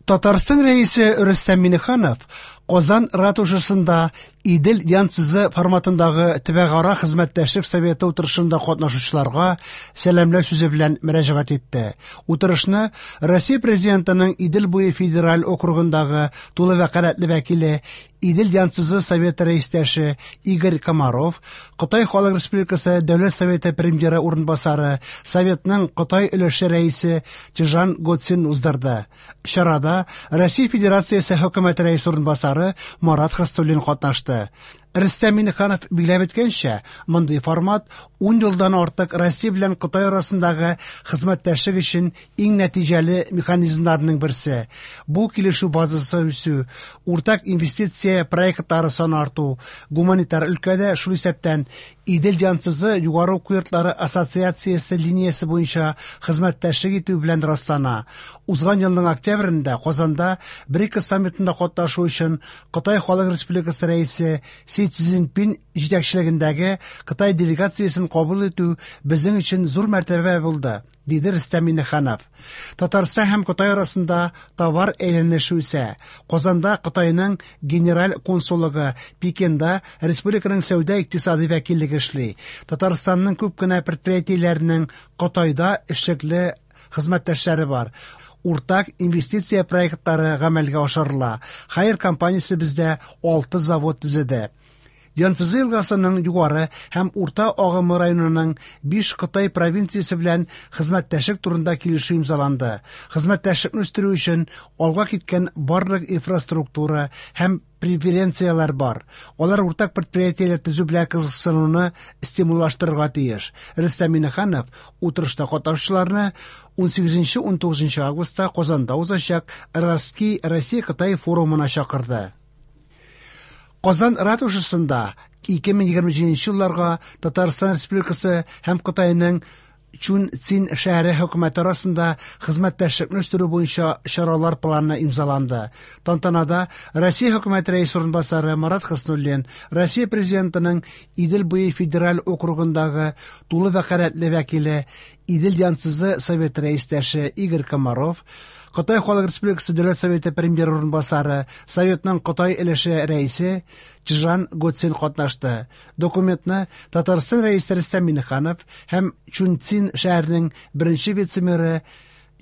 Татарстан Рәисе Рөстәм Миңнеханов Казан ратушасында Идел Янцзы форматындагы төбәкара хезмәттәшлек советы утырышында катнашучыларга сәламләү сүзе белән мөрәҗәгать итте. Утырышны Россия Президентының Идел буе федераль округындагы тулы вәкаләтле вәкиле, Идел Янцзы советы рәистәше Игорь Комаров, Кытай Халык Республикасы Дәүләт Советы премьеры урынбасары, Советның Кытай өлеше рәисе Чжан Гоцин уздырды. Чарада Россия Федерациясе Хөкүмәте рәисе урынбасары Марат Хөснуллин катнашты. Рөстәм Миңнеханов билгеләп үткәнчә, мондый формат 10 елдан артык Россия белән Кытай арасындагы хезмәттәшлек өчен иң нәтиҗәле механизмнарның берсе. Бу килешү базасы үсү, уртак инвестиция проектлары саны арту, гуманитар өлкәдә, шул исәптән Идел Янцзы югары уку йортлары ассоциациясе линиясе буенча хезмәттәшлек итү белән раслана. Узган елның октябрендә Казанда БРИКС саммитында катнашу өчен Кытай Халык Республикасы Рәисе Си Цзиньпин җитәкчелегендәге Кытай делегациясен кабул итү безнең өчен зур мәртәбә булды, диде Рөстәм Миңнеханов. Татарстан һәм Кытай арасында товар әйләнеше үсә. Казанда Кытайның генераль консуллыгы, Пекинда республиканың сәүдә-икътисади вәкиллеге эшли. Татарстанның күп кенә предприятиеләренең Кытайда эшлекле хезмәттәшләре бар. Уртак инвестиция проектлары гамәлгә ашырыла. Haier компаниясе бездә алты завод төзеде. Янцзы елгасының югары һәм урта агымы районының биш Кытай провинциясе белән хезмәттәшлек турында килешү имзаланды. Хезмәттәшлекне үстерү өчен алга киткән барлык инфраструктура һәм преференцияләр бар. Алар уртак предприятиеләр төзү белән кызыксынуны стимуллаштырырга тиеш. Рөстәм Миңнеханов утырышта катнашучыларны 18-19 августта Казанда узачак Россия-Кытай форумына чакырды. Казан ратушасында 2027 елларга Татарстан Республикасы һәм Кытайның Чунцин шәһәре хөкүмәте арасында хезмәттәшлекне үстерү буенча чаралар планы имзаланды. Тантанада Россия хөкүмәте рәисе урынбасары Марат Хөснуллин, Россия Президентының Идел буе федераль округындагы тулы вәкаләтле вәкиле, Идел Янцзы советы рәистәше Игорь Комаров, Кытай Халык Республикасы Дәүләт Советы премьер урынбасары, Советның Кытай өлеше рәисе Чжан Гоцин катнашты. Документны Татарстан Рәисе Рөстәм Миңнеханов һәм Чунцин шәһәренең беренче вице-мэры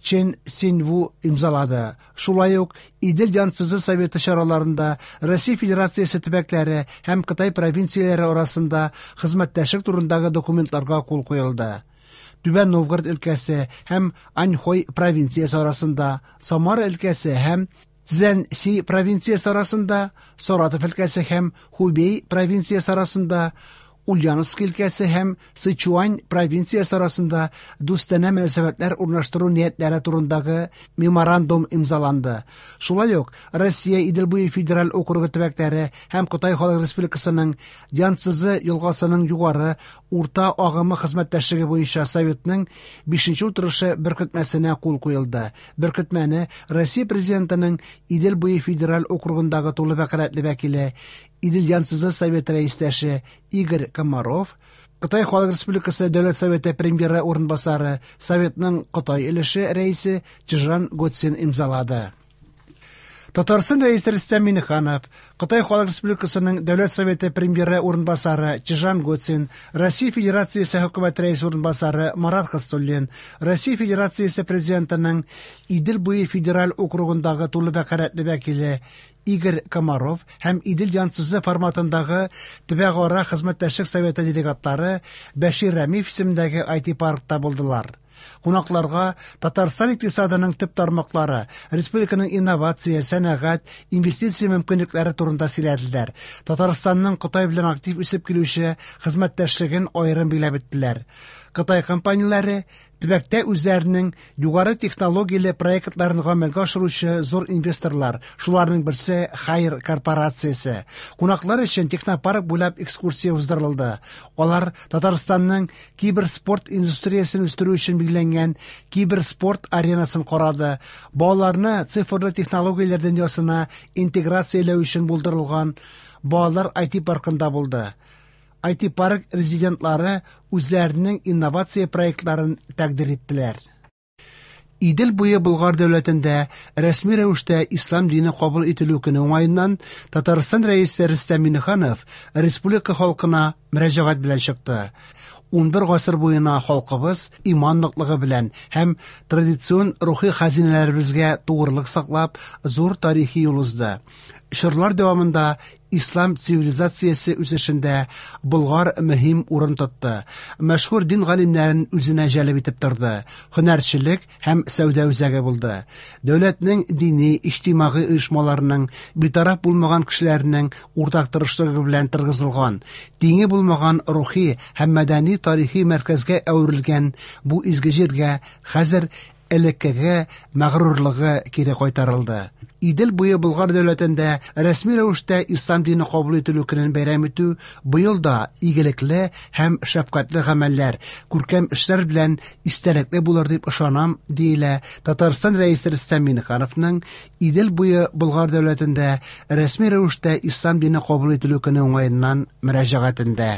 Чен Синву имзалады. Шулай ук Идел Янцзы советы чараларында Россия Федерациясе төбәкләре һәм Кытай провинцияләре арасында хезмәттәшлек турындагы документларга кул куелды. Түбән Новгород өлкәсе һәм Аньхой провинциясе арасында, Самара өлкәсе һәм Цзянси провинциясе арасында, Саратов өлкәсе һәм Хубей провинциясе арасында, Ульяновск өлкәсе һәм Сычуань провинциясе арасында дустанә мөнәсәбәтләр урнаштыру ниятләре турындагы меморандум имзаланды. Шулай ук Россия Идел буе федераль округы төбәкләре һәм Кытай Халык Республикасының Янцзы елгасының югары урта агымы хезмәттәшлеге буенча советның 5 утырышы беркетмәсенә кул куелды. Беркетмәне Россия Президентының Идел буе федераль округындагы тулы вәкаләтле вәкиле, Идел Янцзы советы рәистәше Игорь Комаров, Кытай Халык Республикасы Дәүләт Советы премьеры урынбасары, Советның Кытай өлеше рәисе Чжан Гоцин имзалады. Татарстан Рәисе Рөстәм Миңнеханов, Кытай Халык Республикасының Дәүләт Советы премьеры урынбасары Чжан Гоцин, Россия Федерациясе Хөкүмәте рәисе урынбасары Марат Хөснуллин, Россия Федерациясе Президентының Идел буе федераль округындагы тулы вәкаләтле вәкиле Игорь Комаров һәм Идел Янцзы форматындагы төбәкара хезмәттәшлек советы делегатлары Бәшир Рәмиев исемендәге IT-паркта булдылар. Кунакларга Татарстан икътисадының төп тармаклары, республиканың инновация, сәнәгать, инвестиция мөмкинлекләре турында сөйләделәр. Татарстанның Кытай белән актив үсеп килүче хезмәттәшлеген аерым билгеләп үттеләр. Кытай компанияләре төбәктә үзләренең югары технологияле проектларын гамәлгә ашыручы зур инвесторлар, шуларның берсе Haier корпорациясе. Кунаклар өчен технопарк буйлап экскурсия уздырылды. Алар Татарстанның киберспорт индустриясен үстерү өчен билгеләнгән киберспорт аренасын карады. Балаларны цифрлы технологияләр дөньясына интеграцияләү өчен булдырылган балалар IT-паркында булды. IT-парк резидентлары үзләренең инновация проектларын тәкъдир иттеләр. Идел буе Болгар дәүләтендә рәсми рәвештә ислам дине кабул ителү көне уңаеннан Татарстан Рәисе Рөстәм Миңнеханов республика халкына мөрәҗәгать белән чыкты. 11 гасыр буена халкыбыз иман ныклыгы белән һәм традицион рухи хәзинәләребезгә тугрылык саклап, зур тарихи юл узды. Чорлар дәвамында ислам цивилизациясе үсешендә Болгар мөһим урын тотты. Мәшһүр дин галимнәрен үзенә җәлеп итеп торды. Һөнәрчелек һәм сәүдә үзәге булды. Дәүләтнең дини, иҗтимагый оешмаларының, битараф булмаган кешеләрнең уртак тырышлыгы белән торгызылган, тиңе булмаган рухи һәм мәдәни тарихи мәркәзгә әверелгән бу изге җиргә хәзер элеккеге мәгърурлыгы кире кайтарылды. Идел буе Болгар дәүләтендә рәсми рәвештә ислам дине кабул ителү көнен бәйрәм итү быел да игелекле һәм шәфкатьле гамәлләр, күркәм эшләр белән истәлекле булыр дип ышанам, диелә Татарстан Рәисе Рөстәм Миңнехановның Идел буе Болгар дәүләтендә рәсми рәвештә ислам дине кабул ителү көне уңаеннан мөрәҗәгатендә.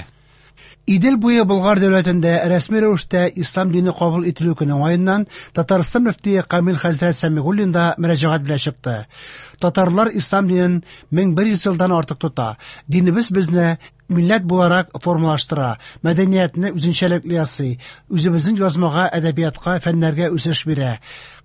Идел буе Болгар дәүләтендә рәсми рәвештә ислам дине кабул ителү көне уңаеннан Татарстан мөфтие Камил хәзрәт Сәмигуллин да мөрәҗәгать белән чыкты. Татарлар ислам динен 1100 елдан артык тота. Динебез безне милләт буларак формалаштыра, мәдәниятне үзенчәлекле ясый, үзебезнең язмага, әдәбиятка, фәннәргә үсеш бирә.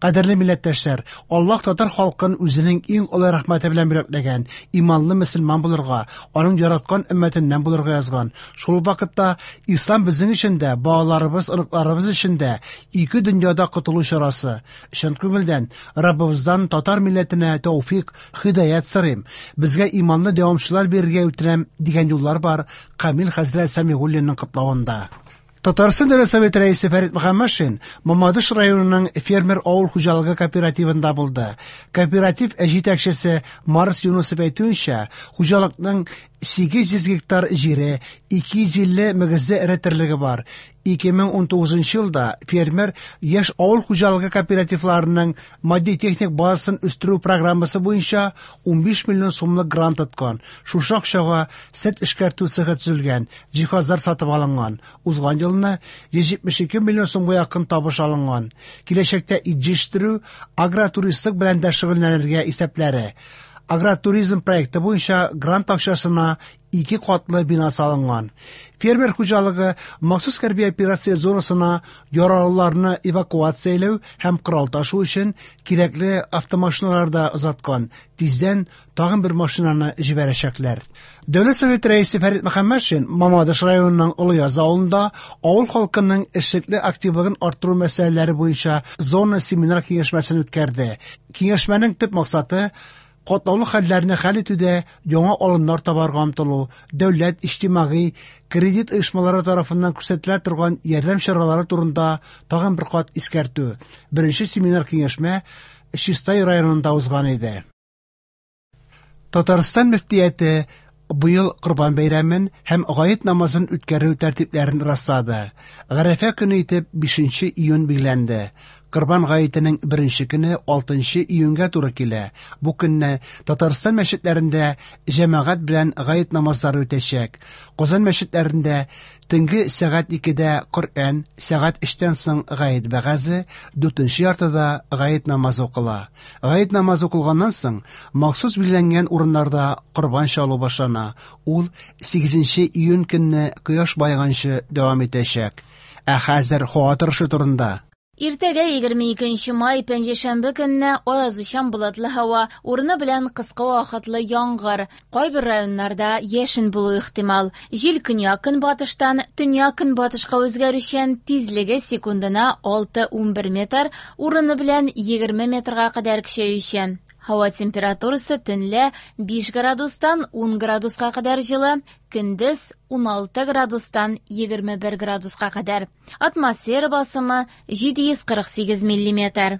Кадерле милләттәшләр, Аллаһ татар халкын үзенең иң олы рәхмәте белән бүләкләгән, иманлы мөселман булырга, аның яраткан өммәтеннән булырга язган. Шул вакытта ислам безнең өчен дә, балаларыбыз, оныкларыбыз өчен дә ике дөньяда котылу чарасы. Чын күңелдән Раббыбыздан татар милләтенә тәүфик, һидаят сорыйм, безгә иманлы дәвамчылар бирергә үтенәм, дигән юллар бар Камил хәзрәт Сәмигуллинның котлавында. Татарстан Дәүләт Советы Рәисе Фәрит Мөхәммәтшин Мамадыш районының фермер авыл хуҗалыгы кооперативында булды. Кооператив җитәкчесе Марс Юнусов әйтүенчә, хуҗалыкның 800 гектар җире, 250 мөгезле эре терлеге бар. 2019 елда фермер яшь авыл хуҗалыгы кооперативларының матди-техник базасын үстерү программасы буенча 15 миллион сумлык грант откан. Шушы акчага сөт эшкәртү цехы төзелгән, җиһазлар сатып алынган. Узган елны 172 миллион сумга якын табыш алынган. Киләчәктә ит җитештерү, агротуристлык белән дә шөгыльләнергә исәпләре. Агротуризм проекты буенча грант акчасына ике катлы бина салынган. Фермер хуҗалыгы махсус хәрби операция зонасына яралыларны эвакуацияләү һәм корал ташу өчен кирәкле автомашиналар да озаткан. Тиздән тагын бер машинаны җибәрәчәкләр. Дәүләт Советы рәисе Фәрит Мөхәммәтшин Мамадыш районының Олыяз авылында авыл халкының эшлекле активлыгын арттыру мәсьәләләре буенча зона семинар киңәшмәсен үткәрде. Киңәшмәнең төп максаты катлаулы хәлләрне хәл итүдә яңа алымнар табарга омтылу, дәүләт, иҗтимагый, кредит оешмалары тарафыннан күрсәтелә торган ярдәм чаралары турында тагын бер кат искәртү. Беренче семинар киңәшмә Чистай районында узган иде. Татарстан мөфтияте быел Корбан бәйрәмен һәм гает намазын үткәрү тәртипләрен раслады. Гарәфә көне итеп 5 июнь билгеләнде. Корбан гаетенең беренче көне 6 июньгә туры килә. Бу көнне Татарстан мәчетләрендә җәмәгать белән гает намазлары үтәчәк. Казан мәчетләрендә төнге сәгать 2дә Коръән, сәгать 3тән соң гает вәгазе, 4нче яртыда гает намазы укыла. Гает намазы укылганнан соң махсус билгеләнгән урыннарда корбан чалу башлана. Ул 8 июнь көнне кояш баеганчы дәвам итәчәк. Ә хәзер һава торышы турында. Иртәгә 22 май пәнҗешәмбе көнне аязучан болытлы һава, урыны белән кыска вакытлы яңгыр. Кайбер районнарда яшен булу ихтимал. Җил көньяк-көнбатыштан төньяк-көнбатышка үзгәрүчән, тизлеге секундына 6-11 метр, урыны белән 20 метрга кадәр көчәючән. Һава температурасы төнлә 5 градустан 10 градуска кадәр җылы, көндез 16 градустан 21 градуска кадәр. Атмосфера басымы 748 миллиметр.